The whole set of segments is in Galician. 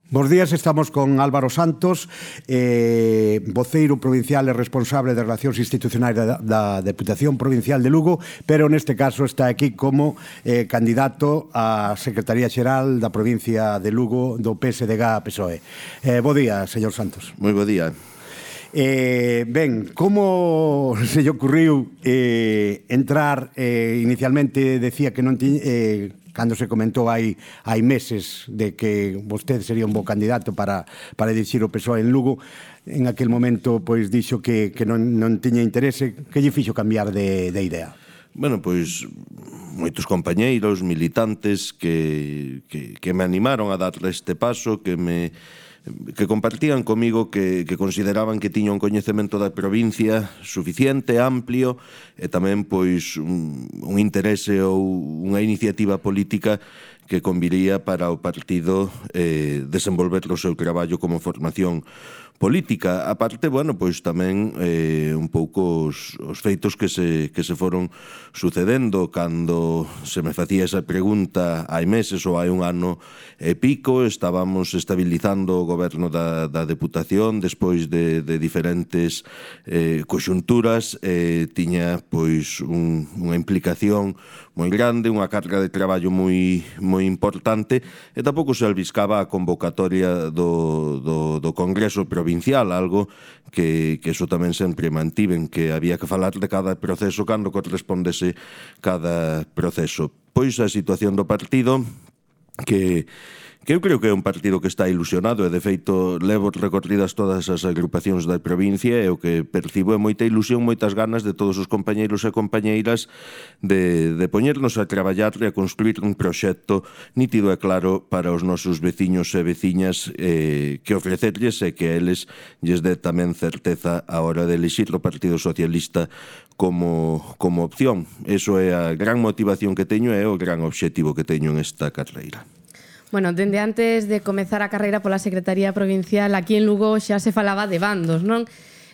Bos días, estamos con Álvaro Santos, voceiro provincial e responsable de Relacións Institucionais da Deputación Provincial de Lugo, pero neste caso está aquí como candidato á Secretaría Xeral da provincia de Lugo do PSDG-PSOE. Bo día, señor Santos. Moi bo día. Ben, como se lle ocurriu entrar, inicialmente decía que non tiña... cando se comentou hai meses de que vostede sería un bo candidato para dirixir o PSOE en Lugo, en aquel momento pois dixo que non tiña interese. Que lle fixo cambiar de idea? Bueno, pois moitos compañeiros, militantes que me animaron a dar este paso, que compartían comigo que consideraban que tiña un coñecemento da provincia suficiente, amplio, e tamén pois un interese ou unha iniciativa política que conviría para o partido desenvolver o seu traballo como formación política. A parte, bueno, pois tamén un pouco os feitos que se foron sucedendo cando se me facía esa pregunta hai meses ou hai un ano e pico. Estábamos estabilizando o goberno da Deputación despois de diferentes coxunturas, tiña pois unha implicación moi grande, unha carga de traballo moi importante, e tampouco se albiscaba a convocatoria do Congreso Provincial, algo que eso tamén sempre mantiven, que había que falar de cada proceso cando correspondese cada proceso. Pois a situación do partido, que eu creo que é un partido que está ilusionado, e de feito levo recorridas todas as agrupacións da provincia, e o que percibo é moita ilusión, moitas ganas de todos os compañeiros e compañeiras de poñernos a traballar e a construir un proxecto nítido e claro para os nosos veciños e veciñas, que ofrecerlles e que a eles lles dé tamén certeza a hora de elixir o Partido Socialista como opción. Eso é a gran motivación que teño e o gran obxectivo que teño en esta carreira. Bueno, dende antes de comezar a carreira pola Secretaría Provincial, aquí en Lugo xa se falaba de bandos, non?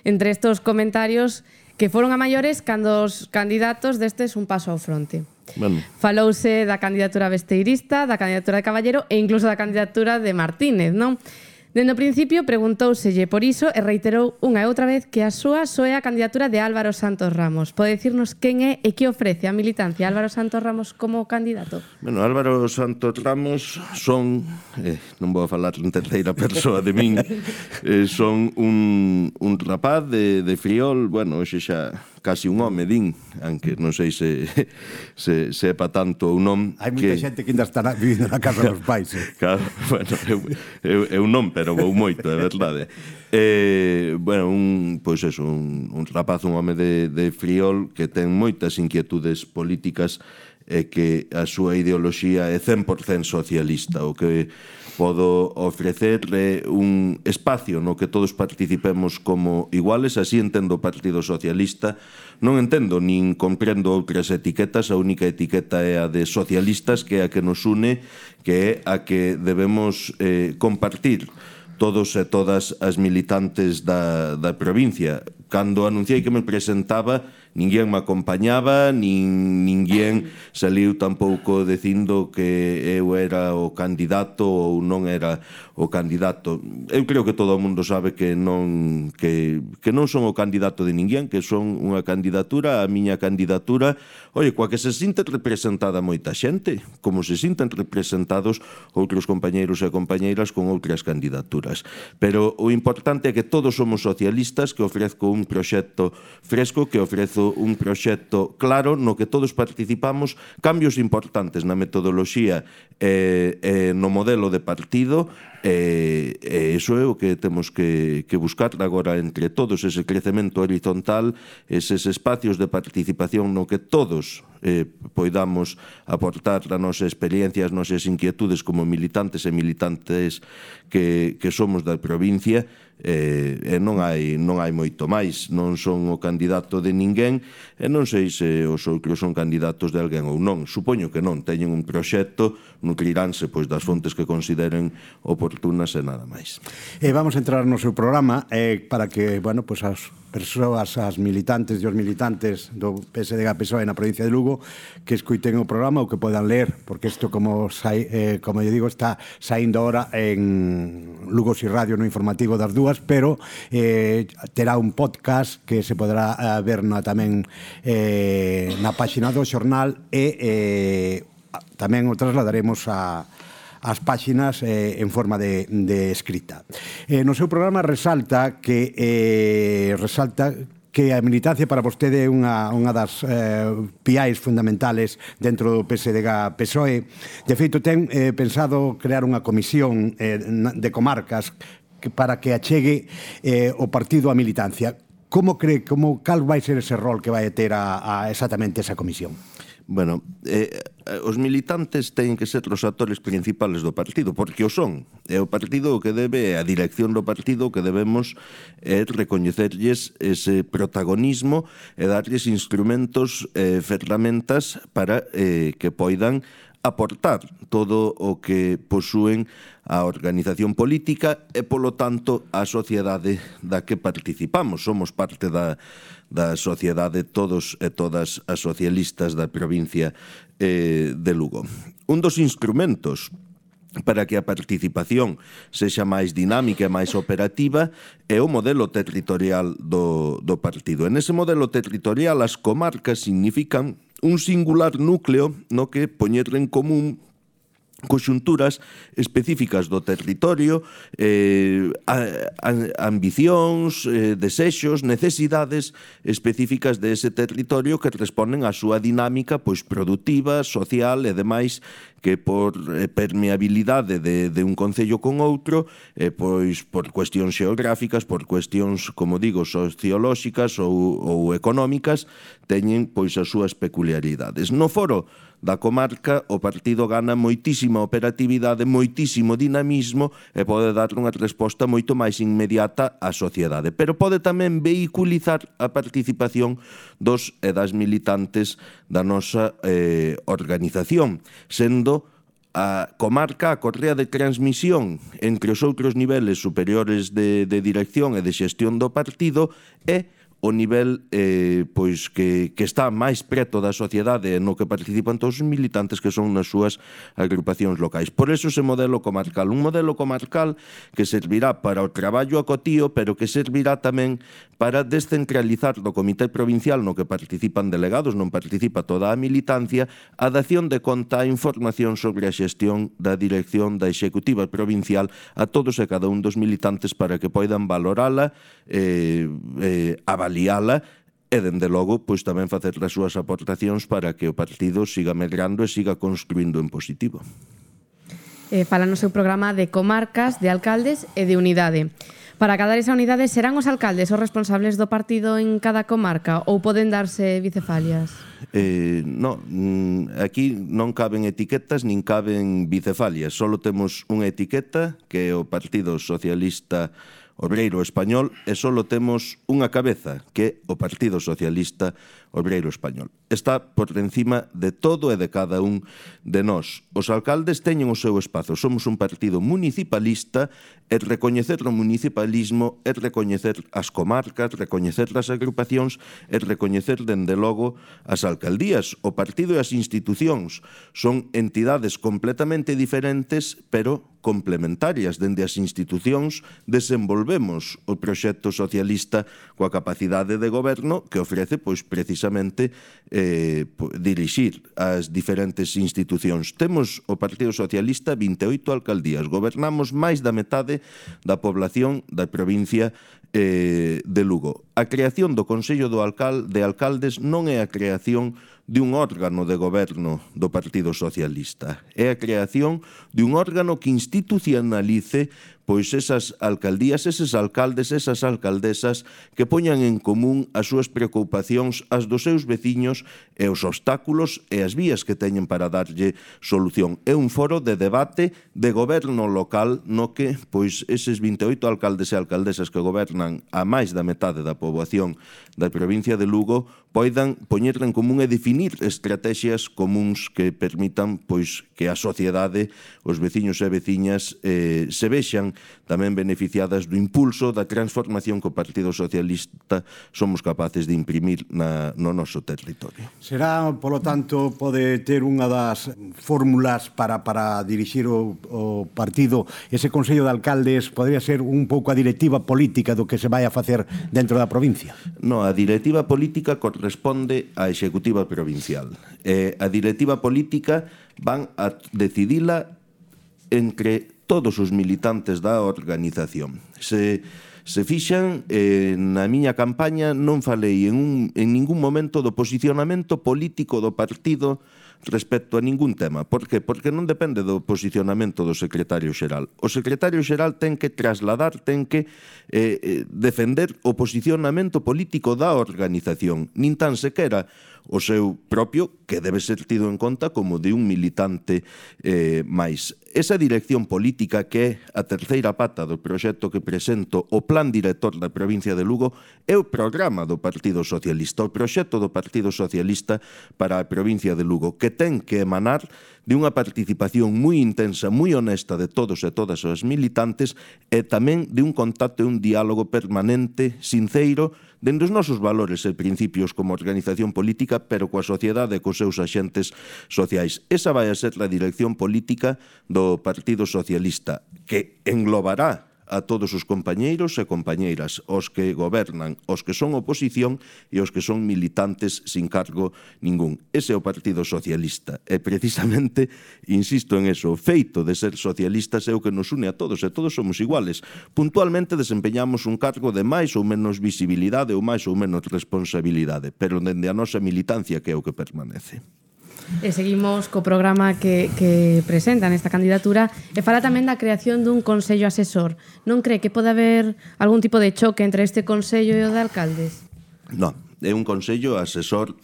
Entre estos comentarios que foron a maiores cando os candidatos destes un paso ao fronte. Bueno. Falouse da candidatura besteirista, da candidatura de Caballero e incluso da candidatura de Martínez, non? Dende o principio preguntouselle por iso e reiterou unha e outra vez que a súa só é a candidatura de Álvaro Santos Ramos. Pode dicirnos quen é e que ofrece a militancia Álvaro Santos Ramos como candidato? Bueno, Álvaro Santos Ramos son, non vou a falar en terceira persoa de min, son un rapaz de Friol, bueno, hoxe xa casi un home, din, aunque non sei se sepa tanto ou non. Hai moita xente que ainda está vivindo na casa dos pais. Claro, bueno, eu non, pero vou moito, é verdade. Bueno, un rapaz, un home de Friol que ten moitas inquietudes políticas e que a súa ideoloxía é 100% socialista. O que podo ofrecerle un espacio no que todos participemos como iguales, así entendo o Partido Socialista. Non entendo nin comprendo outras etiquetas, a única etiqueta é a de socialistas, que é a que nos une, que é a que debemos compartir todos e todas as militantes da provincia. Cando anunciei que me presentaba, ninguén me acompañaba, ninguén saliu tampouco dicindo que eu era o candidato ou non era o candidato. Eu creo que todo o mundo sabe que non son o candidato de ninguén, que son unha candidatura, a miña candidatura, coa que se sinta representada moita xente, como se sintan representados outros compañeiros e compañeiras con outras candidaturas. Pero o importante é que todos somos socialistas, que ofrezco un proxecto fresco, que ofrezo un proxecto claro no que todos participamos, cambios importantes na metodoloxía e no modelo de partido, e iso é o que temos que buscar agora entre todos, ese crecemento horizontal, eses espacios de participación no que todos poidamos aportar a nosa experiencia, as nosas inquietudes como militantes e militantes que somos da provincia, e non hai moito máis. Non son o candidato de ninguén e non sei se os outros son candidatos de alguén ou non. Supoño que non, teñen un proxecto, nutriranse pois das fontes que consideren oportunas e nada máis. Vamos a entrar no seu programa para que, bueno, pois persoas, as militantes e os militantes do PSDG-PSOE na provincia de Lugo que escuiten o programa ou que podan ler, porque isto, como eu digo, está saindo ahora en Lugo Si Radio no informativo das dúas, pero terá un podcast que se podrá ver tamén na páxina do xornal e tamén o trasladaremos as páxinas en forma de escrita. No seu programa resalta que a militancia para vostede é unha das piais fundamentales dentro do PSDG-PSOE. De feito, ten pensado crear unha comisión de comarcas para que achegue o partido á militancia. Como cree, cal vai ser ese rol que vai ter exactamente esa comisión? Bueno, os militantes teñen que ser os actores principales do partido, porque o son. É o partido o que debe, a dirección do partido o que debemos recoñecerlles ese protagonismo e darlles instrumentos, ferramentas para que poidan aportar todo o que posúen a organización política e, polo tanto, a sociedade da que participamos. Somos parte da sociedade, todos e todas as socialistas da provincia de Lugo. Un dos instrumentos para que a participación sexa máis dinámica e máis operativa é o modelo territorial do partido. En ese modelo territorial, as comarcas significan un singular núcleo no que poñer en común conxunturas específicas do territorio, ambicións, desexos, necesidades específicas de ese territorio que responden á súa dinámica productiva, social e demais, que por permeabilidade de un concello con outro, por cuestións xeográficas, por cuestións, como digo, sociolóxicas ou económicas, teñen as súas peculiaridades. No foro da comarca, o partido gana moitísima operatividade, moitísimo dinamismo e pode dar unha resposta moito máis inmediata á sociedade. Pero pode tamén vehiculizar a participación dos e das militantes da nosa organización, sendo a comarca a correa de transmisión entre os outros niveles superiores de dirección e de xestión do partido e o nivel que está máis preto da sociedade no que participan todos os militantes que son nas súas agrupacións locais. Por eso ese modelo comarcal, un modelo comarcal que servirá para o traballo acotío, pero que servirá tamén para descentralizar do Comité Provincial no que participan delegados, non participa toda a militancia, a dación de conta a información sobre a xestión da dirección da Executiva Provincial a todos e cada un dos militantes para que poidan valorala, avaliala e, dende logo, tamén facer as súas aportacións para que o partido siga medrando e siga construindo en positivo. Fala no seu programa de comarcas, de alcaldes e de unidade. Para acadar esa unidade, serán os alcaldes os responsables do partido en cada comarca ou poden darse bicefalias? Aquí non caben etiquetas nin caben bicefalias. Solo temos unha etiqueta que é o Partido Socialista Obreiro Español e solo temos unha cabeza, que é o Partido Socialista Obreiro Español. Está por encima de todo e de cada un de nós. Os alcaldes teñen o seu espazo. Somos un partido municipalista e recoñecer o municipalismo é recoñecer as comarcas, recoñecer as agrupacións e recoñecer, dende logo, as alcaldías. O partido e as institucións son entidades completamente diferentes, pero complementarias. Dende as institucións desenvolvemos o proxecto socialista coa capacidade de goberno que ofrece, precisamente, dirixir as diferentes institucións. Temos o Partido Socialista 28 alcaldías. Gobernamos máis da metade da población da provincia de Lugo. A creación do Consello de Alcaldes non é a creación de un órgano de goberno do Partido Socialista. É a creación de un órgano que institucionalice esas alcaldías, eses alcaldes, esas alcaldesas que poñan en común as súas preocupacións, as dos seus veciños e os obstáculos e as vías que teñen para darlle solución. É un foro de debate de goberno local no que eses 28 alcaldes e alcaldesas que gobernan gobernan a máis da metade da poboación da provincia de Lugo poidan poñerla en común e definir estrategias comuns que permitan pois que a sociedade, os veciños e veciñas se vexan tamén beneficiadas do impulso da transformación que o Partido Socialista somos capaces de imprimir no noso territorio. Será, polo tanto, pode ter unha das fórmulas para dirixir o partido, ese Consello de Alcaldes podría ser un pouco a directiva política do que se vai a facer dentro da provincia? No, a directiva política corresponde á executiva provincial. A directiva política van a decidila entre todos os militantes da organización. Se fixan, na miña campaña non falei en ningún momento do posicionamento político do partido respecto a ningún tema. Por qué? Porque non depende do posicionamento do secretario xeral. O secretario xeral ten que trasladar, ten que defender o posicionamento político da organización, nin tan sequera o seu propio, que debe ser tido en conta como de un militante máis. Esa dirección política que é a terceira pata do proxecto que presento, o Plan Director da provincia de Lugo, é o programa do Partido Socialista, o proxecto do Partido Socialista para a provincia de Lugo, que ten que emanar de unha participación moi intensa, moi honesta de todos e todas as militantes e tamén de un contacto e un diálogo permanente, sinceiro, dende os nosos valores e principios como organización política, pero coa sociedade e cos seus axentes sociais. Esa vai a ser a dirección política do Partido Socialista, que englobará a todos os compañeiros e compañeiras, os que gobernan, os que son oposición e os que son militantes sin cargo ningún. Ese é o Partido Socialista. E precisamente, insisto en eso, o feito de ser socialistas é o que nos une a todos, e todos somos iguales. Puntualmente desempeñamos un cargo de máis ou menos visibilidade ou máis ou menos responsabilidade, pero dende a nosa militancia que é o que permanece. E seguimos co programa que presenta nesta candidatura e fala tamén da creación dun Consello Asesor. Non cree que pode haber algún tipo de choque entre este Consello e o de alcaldes? Non, é un Consello Asesor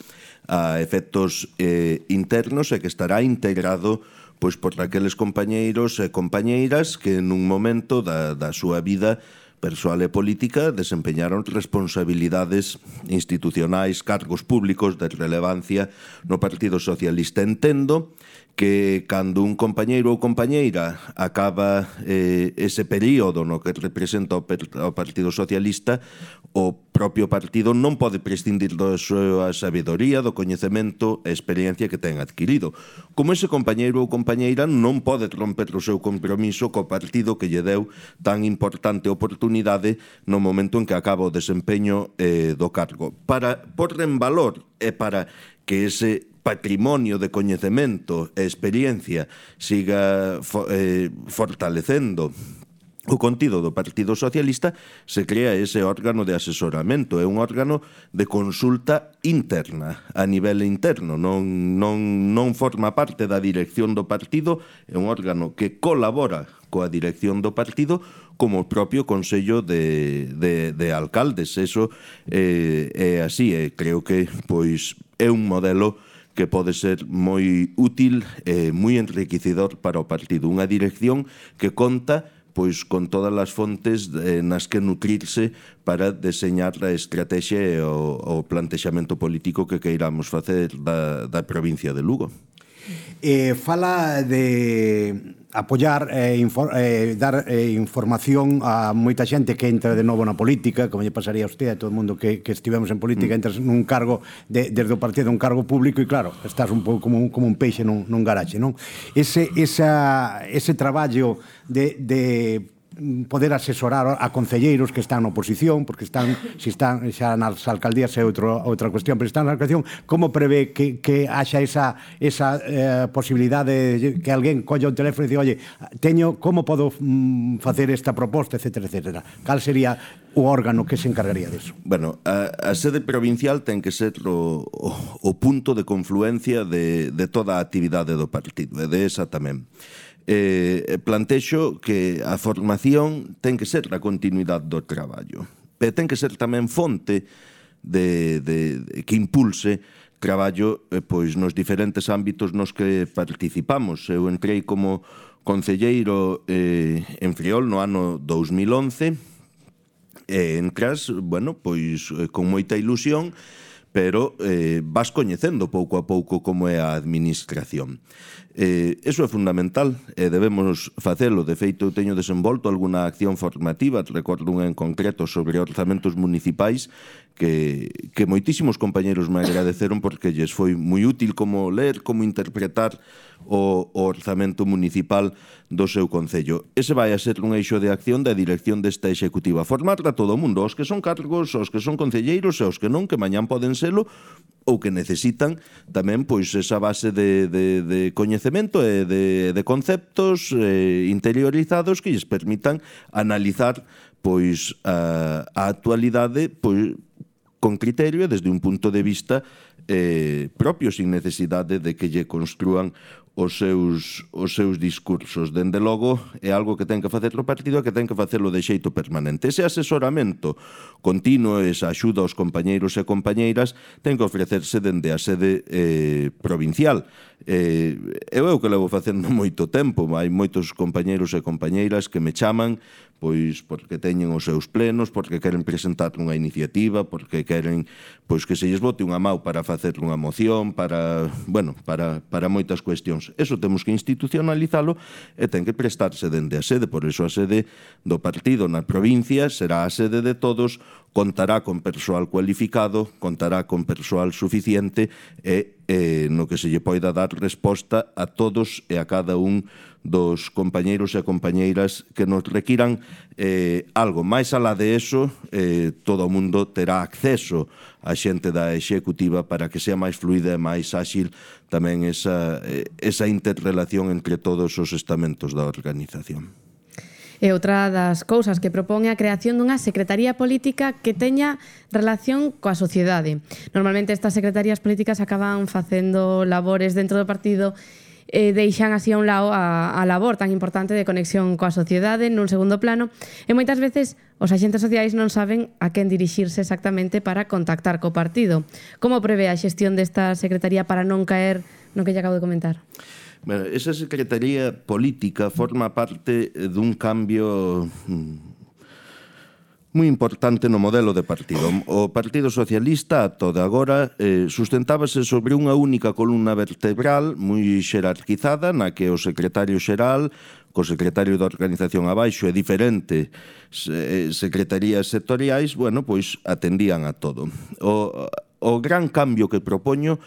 a efectos internos e que estará integrado pois por aqueles compañeiros e compañeiras que nun momento da súa vida persoal e política desempeñaron responsabilidades institucionais, cargos públicos de relevancia no Partido Socialista. Entendo que cando un compañeiro ou compañeira acaba ese período no que representa o Partido Socialista, o propio partido non pode prescindir da súa sabedoría, do coñecemento e experiencia que ten adquirido. Como ese compañeiro ou compañeira non pode romper o seu compromiso co partido que lle deu tan importante oportunidade no momento en que acaba o desempeño do cargo. Para pôr en valor e para que ese patrimonio de coñecemento e experiencia siga fortalecendo o contido do Partido Socialista, se crea ese órgano de asesoramento. É un órgano de consulta interna, a nivel interno. Non forma parte da dirección do partido, é un órgano que colabora coa dirección do partido como o propio Consello de Alcaldes. Eso é así, e creo que pois é un modelo que pode ser moi útil e moi enriquecedor para o partido. Unha dirección que conta pois con todas as fontes nas que nutrirse para deseñar a estrategia e o plantexamento político que queiramos facer da provincia de Lugo. Fala de apoiar dar información a moita xente que entra de novo na política, como lle pasaría a usted, a todo o mundo que estivemos en política, entras nun cargo desde o partido, un cargo público, e claro, estás un pouco como un peixe nun garaxe, non? Ese traballo de poder asesorar a concelleiros que están na oposición, porque se están xa nas alcaldías é outra cuestión, pero están na alcaldía, como prevé que haxa esa posibilidade de que alguén colla o teléfono e diga, oye, como podo facer esta proposta, etcétera, etcétera. Cal sería o órgano que se encargaría disso? Bueno, a sede provincial ten que ser o punto de confluencia de toda a actividade do partido, e de esa tamén. Plantexo que a formación ten que ser a continuidade do traballo, pero ten que ser tamén fonte que impulse traballo pois nos diferentes ámbitos nos que participamos. Eu entrei como concelleiro en Friol no ano 2011 e entras, bueno, pois con moita ilusión, pero vas coñecendo pouco a pouco como é a administración. Eso é fundamental e debemos facelo. De feito, eu teño desenvolto alguna acción formativa, recordo unha en concreto sobre orzamentos municipais que moitísimos compañeros me agradeceron porque lles foi moi útil como ler, como interpretar o orzamento municipal do seu concello. Ese vai a ser un eixo de acción da dirección desta executiva. Formar a todo o mundo, os que son cargos, os que son concelleiros e os que non, que mañán poden selo, ou que necesitan tamén pois esa base de coñecemento e de conceptos interiorizados que lles permitan analizar pois a actualidade pois con criterio e desde un punto de vista propio, sin necesidade de que lle construan os seus discursos. Dende logo, é algo que ten que facer o partido e que ten que facelo de xeito permanente. Ese asesoramento continuo, esa axuda aos compañeiros e compañeiras, ten que ofrecerse dende a sede provincial. É o que levo facendo moito tempo. Hai moitos compañeiros e compañeiras que me chaman pois porque teñen os seus plenos, porque queren presentar unha iniciativa, porque queren pois que se lles bote unha mau para facer unha moción, para moitas cuestións. Eso temos que institucionalizalo e ten que prestarse dende a sede. Por iso a sede do partido na provincia será a sede de todos, contará con persoal cualificado, contará con persoal suficiente e no que se lle poida dar resposta a todos e a cada un dos compañeiros e compañeiras que nos requiran algo. Mais alá de eso, todo o mundo terá acceso a xente da executiva para que sea máis fluida e máis áxil tamén esa interrelación entre todos os estamentos da organización. E outra das cousas que propón é a creación dunha secretaría política que teña relación coa sociedade. Normalmente estas secretarías políticas acaban facendo labores dentro do partido e deixan así a un lado a labor tan importante de conexión coa sociedade nun segundo plano e moitas veces os axentes sociais non saben a quen dirixirse exactamente para contactar co partido. Como prevé a xestión desta secretaría para non caer no que lle acabo de comentar? Bueno, esa secretaría política forma parte dun cambio moi importante no modelo de partido. O Partido Socialista, ata de agora, sustentábase sobre unha única columna vertebral moi xerarquizada, na que o secretario xeral, co secretario da organización abaixo e diferentes secretarías sectoriais, bueno, pois atendían a todo. O gran cambio que propoño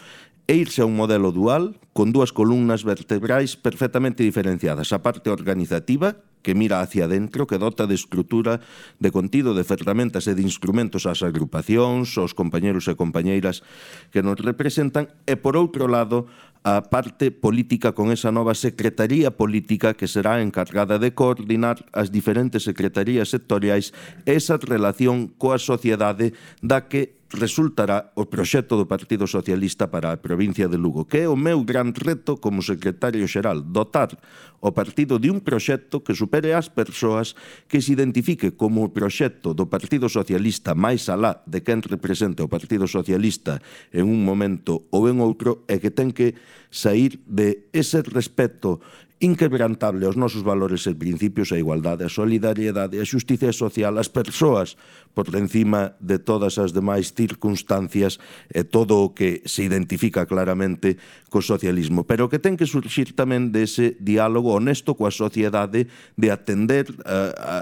é irse a un modelo dual con dúas columnas vertebrais perfectamente diferenciadas. A parte organizativa, que mira hacia dentro, que dota de estrutura, de contido, de ferramentas e de instrumentos ás agrupacións, aos compañeros e compañeiras que nos representan, e por outro lado, a parte política con esa nova secretaría política que será encargada de coordinar as diferentes secretarías sectoriais e esa relación coa sociedade da que resultará o proxecto do Partido Socialista para a provincia de Lugo, que é o meu gran reto como secretario xeral, dotar o partido de un proxecto que supere as persoas, que se identifique como o proxecto do Partido Socialista máis alá de quen represente o Partido Socialista en un momento ou en outro, e que ten que sair de ese respeto inquebrantable aos nosos valores e principios, a igualdade, a solidariedade, a xustiza social, as persoas por encima de todas as demais circunstancias e todo o que se identifica claramente co socialismo, pero que ten que surxir tamén dese diálogo honesto coa sociedade, de atender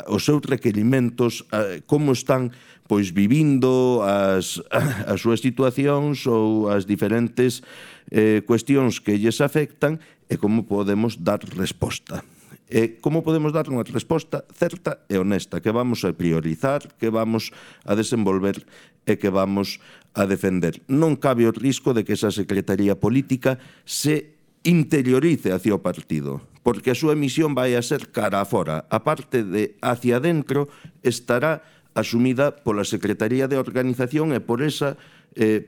os seus requerimentos, como están pois vivindo as súas situacións ou as diferentes cuestións que lles afectan e como podemos dar resposta. E como podemos dar unha resposta certa e honesta, que vamos a priorizar, que vamos a desenvolver e que vamos a defender. Non cabe o risco de que esa secretaría política se interiorice hacia o partido, porque a súa misión vai a ser cara a fora. A parte de hacia dentro estará asumida pola Secretaría de Organización e por esa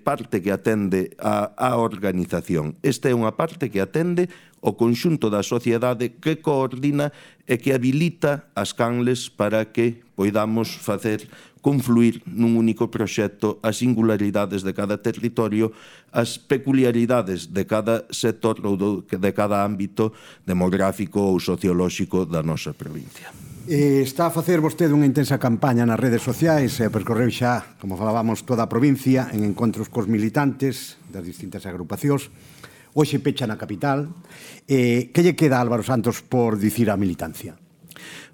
parte que atende a organización. Esta é unha parte que atende o conxunto da sociedade, que coordina e que habilita as canles para que poidamos facer confluir nun único proxecto as singularidades de cada territorio, as peculiaridades de cada sector ou de cada ámbito demográfico ou sociolóxico da nosa provincia. Está a facer vostede unha intensa campaña nas redes sociais e percorreu xa, como falábamos, toda a provincia en encontros cos militantes das distintas agrupacións. Hoxe pecha na capital. Que lle queda a Álvaro Santos por dicir á militancia?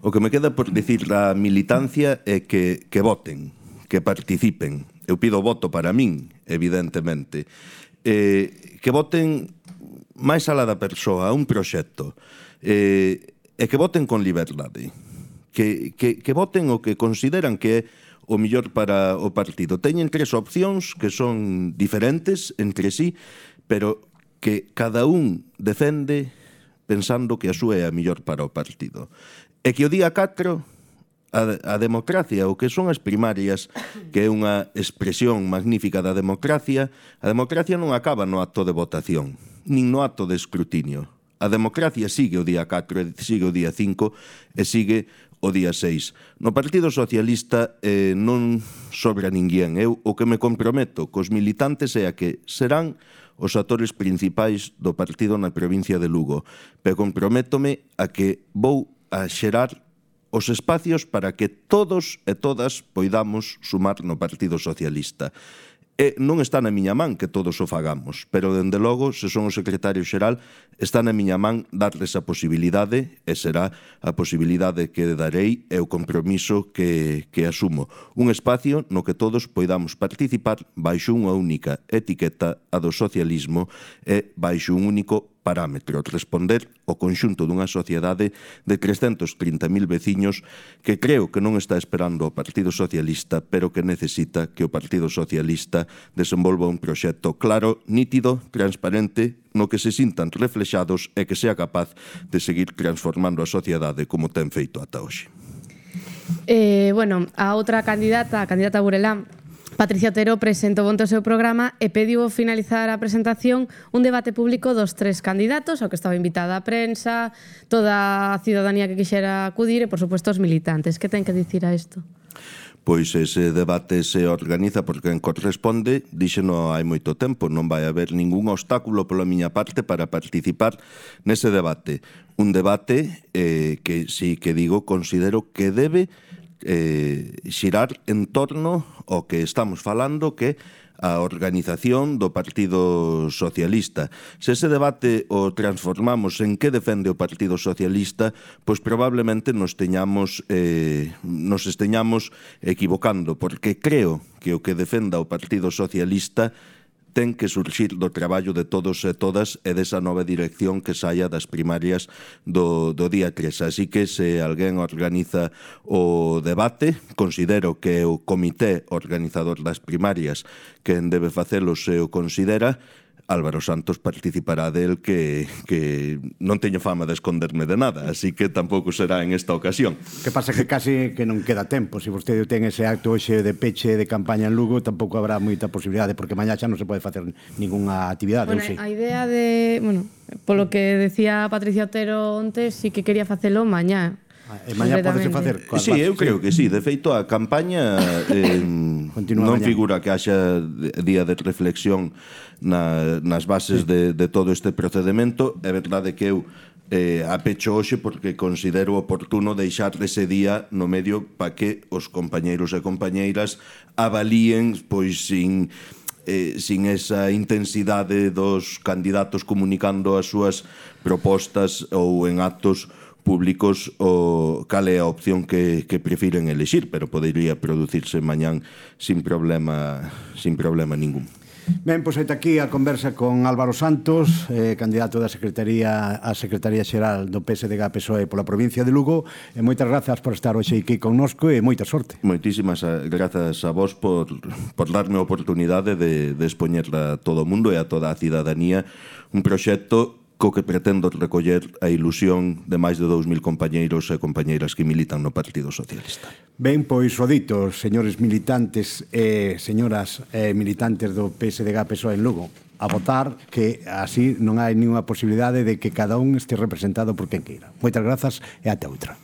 O que me queda por dicir a militancia é que voten, que participen. Eu pido voto para min, evidentemente. Que voten máis alá da persoa, a un proxecto. E que voten con liberdade. Que voten o que consideran que é o mellor para o partido. Teñen tres opcións que son diferentes entre sí, pero que cada un defende pensando que a súa é a mellor para o partido. E que o día 4 a democracia, o que son as primarias, que é unha expresión magnífica da democracia, a democracia non acaba no acto de votación, nin no acto de escrutinio. A democracia sigue o día 4, sigue o día 5 e sigue o día 6. No Partido Socialista non sobra ninguén. Eu o que me comprometo cos militantes é a que serán os actores principais do partido na provincia de Lugo. Pero comprométome a que vou a xerar os espacios para que todos e todas poidamos sumar no Partido Socialista. E non está na miña man que todos o fagamos, pero, dende logo, se son o secretario xeral, está na miña man darles a posibilidade, e será a posibilidade que darei e o compromiso que asumo. Un espacio no que todos poidamos participar baixo unha única etiqueta, a do socialismo, e baixo un único parámetro, responder ao conxunto dunha sociedade de 330.000 veciños que creo que non está esperando o Partido Socialista, pero que necesita que o Partido Socialista desenvolva un proxecto claro, nítido, transparente, no que se sintan reflexados e que sea capaz de seguir transformando a sociedade como ten feito ata hoxe. A outra candidata, a candidata Burelán, Patricia Otero, presentou onte o seu programa e pediu ao finalizar a presentación un debate público dos tres candidatos, ao que estaba invitada a prensa, toda a ciudadanía que quixera acudir e, por suposto, os militantes. Que ten que dicir a isto? Pois ese debate se organiza por quen corresponde, díxeno hai moito tempo, non vai haber ningún obstáculo pola miña parte para participar nese debate. Un debate que, si que digo, considero que debe xirar en torno ao que estamos falando, que a organización do Partido Socialista. Se ese debate o transformamos en que defende o Partido Socialista, pois probablemente nos esteñamos equivocando, porque creo que o que defenda o Partido Socialista ten que surxir do traballo de todos e todas e desa nova dirección que saia das primarias do día 3. Así que se alguén organiza o debate, considero que o comité organizador das primarias quen debe facelo se o considera, Álvaro Santos participará del que non teño fama de esconderme de nada, así que tampouco será en esta ocasión. Que pasa que casi que non queda tempo. Se vostede ten ese acto hoxe de peche de campaña en Lugo, tampouco habrá moita posibilidade, porque mañá xa non se pode facer ningunha actividade. A idea de, polo que decía Patricia Otero onte, sí que quería facelo mañá. E mañá podese facer? Sí, eu creo que sí. De feito, a campaña non figura que haxa día de reflexión nas bases de todo este procedimento. É verdade que eu a pecho hoxe porque considero oportuno deixar ese día no medio para que os compañeiros e compañeiras avalíen, pois sin esa intensidade dos candidatos comunicando as súas propostas ou en actos públicos o cal é a opción que prefiren elixir, pero podería producirse mañán sin problema ningún. Ben, pois aita aquí a conversa con Álvaro Santos, candidato da Secretaría Xeral do PSDG-PSOE pola provincia de Lugo, e moitas grazas por estar hoxe aquí connosco e moita sorte. Moitísimas grazas a vos por darme a oportunidade de expoñer a todo o mundo e a toda a cidadanía un proxecto co que pretendo recoller a ilusión de máis de 2.000 compañeiros e compañeiras que militan no Partido Socialista. Ben, pois o dito, señores militantes e señoras militantes do PSDG-PSOE en Lugo, a votar, que así non hai ninguna posibilidade de que cada un este representado por quen queira. Moitas grazas e ata outra.